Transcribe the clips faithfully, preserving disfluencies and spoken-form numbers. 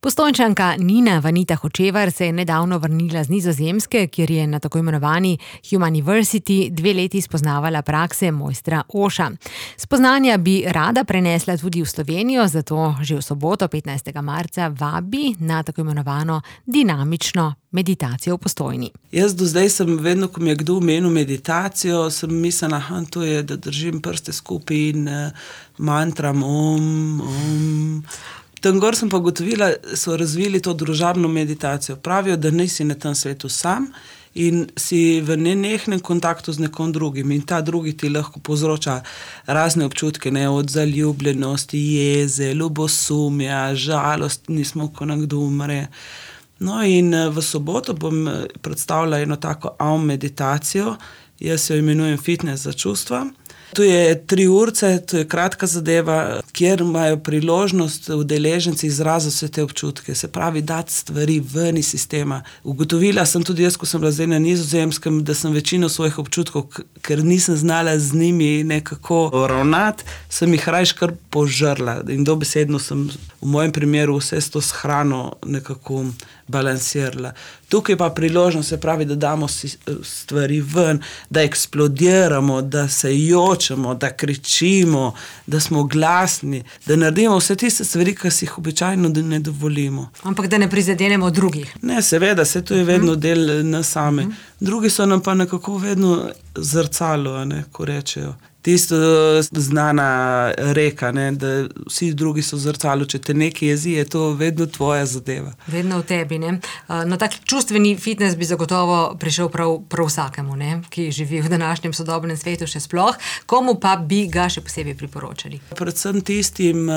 Postojnčanka Nina Vanita Hočevar se je nedavno vrnila z Nizozemske, kjer je na tako imenovani Humaniversity dve leti spoznavala prakse mojstra Oša. Spoznanja bi rada prenesla tudi v Slovenijo, zato že v soboto, petnajstega marca, vabi na tako imenovano dinamično meditacijo v Postojni. Jaz do zdaj sem vedno, ko mi je kdo omenil meditacijo, sem mislila, aha, to je, da držim prste skupaj in mantram om, om. Tam gor sem pa ugotovila, so razvili to družabno meditacijo. Pravijo, da nisi na tem svetu sam in si v nenehnem kontaktu z nekom drugim in ta drugi ti lahko povzroča razne občutke, ne, od zaljubljenosti, jeze, ljubosumja, žalost, nismo, ko nekdo umre. No in v soboto bom predstavila eno tako aum meditacijo, jaz jo imenujem fitness za čustva. To je tri urce, to je kratka zadeva, kjer imajo priložnost udeleženci izraziti vse te občutke, se pravi, dati stvari ven iz sistema. Ugotovila sem tudi jaz, ko sem bila zdaj na Nizozemskem, da sem večino svojih občutkov, ker nisem znala z njimi nekako ravnati, sem jih rajš kar požrla in dobesedno sem v mojem primeru vse s to hrano nekako balansirala. Tukaj pa priložnost, se pravi, da damo stvari ven, da eksplodiramo, da se jočemo, da kričimo, da smo glasni, da naredimo vse tiste stvari, ki si jih običajno ne dovolimo. Ampak da ne prizadenemo drugih. Ne, seveda, se to je vedno del nas same. Drugi so nam pa nekako vedno zrcalo, ne, ko rečejo. Tisto znana reka, ne, da vsi drugi so zrcalo, če te nekaj jezi, je to vedno tvoja zadeva. Vedno v tebi, ne. No, tak čustveni fitness bi zagotovo prišel prav, prav vsakemu, ne, ki živi v današnjem sodobnem svetu še sploh. Komu pa bi ga še posebej priporočali? Predvsem tistim,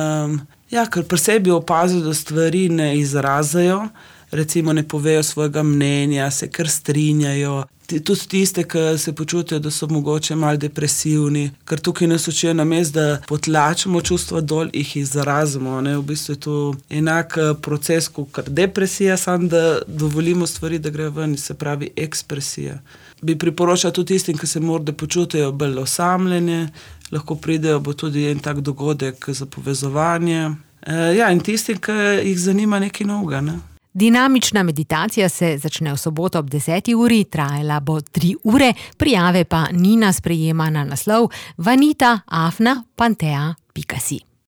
ja, ker pri sebi opazijo, da stvari ne izrazajo, recimo ne povejo svojega mnenja, se kar strinjajo. Tudi tiste, ki se počutijo, da so mogoče malo depresivni, ker tukaj nas učijo namesto, da potlačimo čustva dol, jih izrazimo, ne, v bistvu je to enak proces kot depresija, samo da dovolimo stvari, da grejo ven, se pravi ekspresija. Bi priporočala tudi tistim, ki se morda počutijo bolj osamljene, lahko pridejo, bo tudi en tak dogodek za povezovanje. Ja, in tistim, ki jih zanima nekaj novega, ne. Dinamična meditacija se začne v soboto ob deseti uri, trajala bo tri ure, prijave pa Nina sprejema na naslov vanita afna pantea pika si.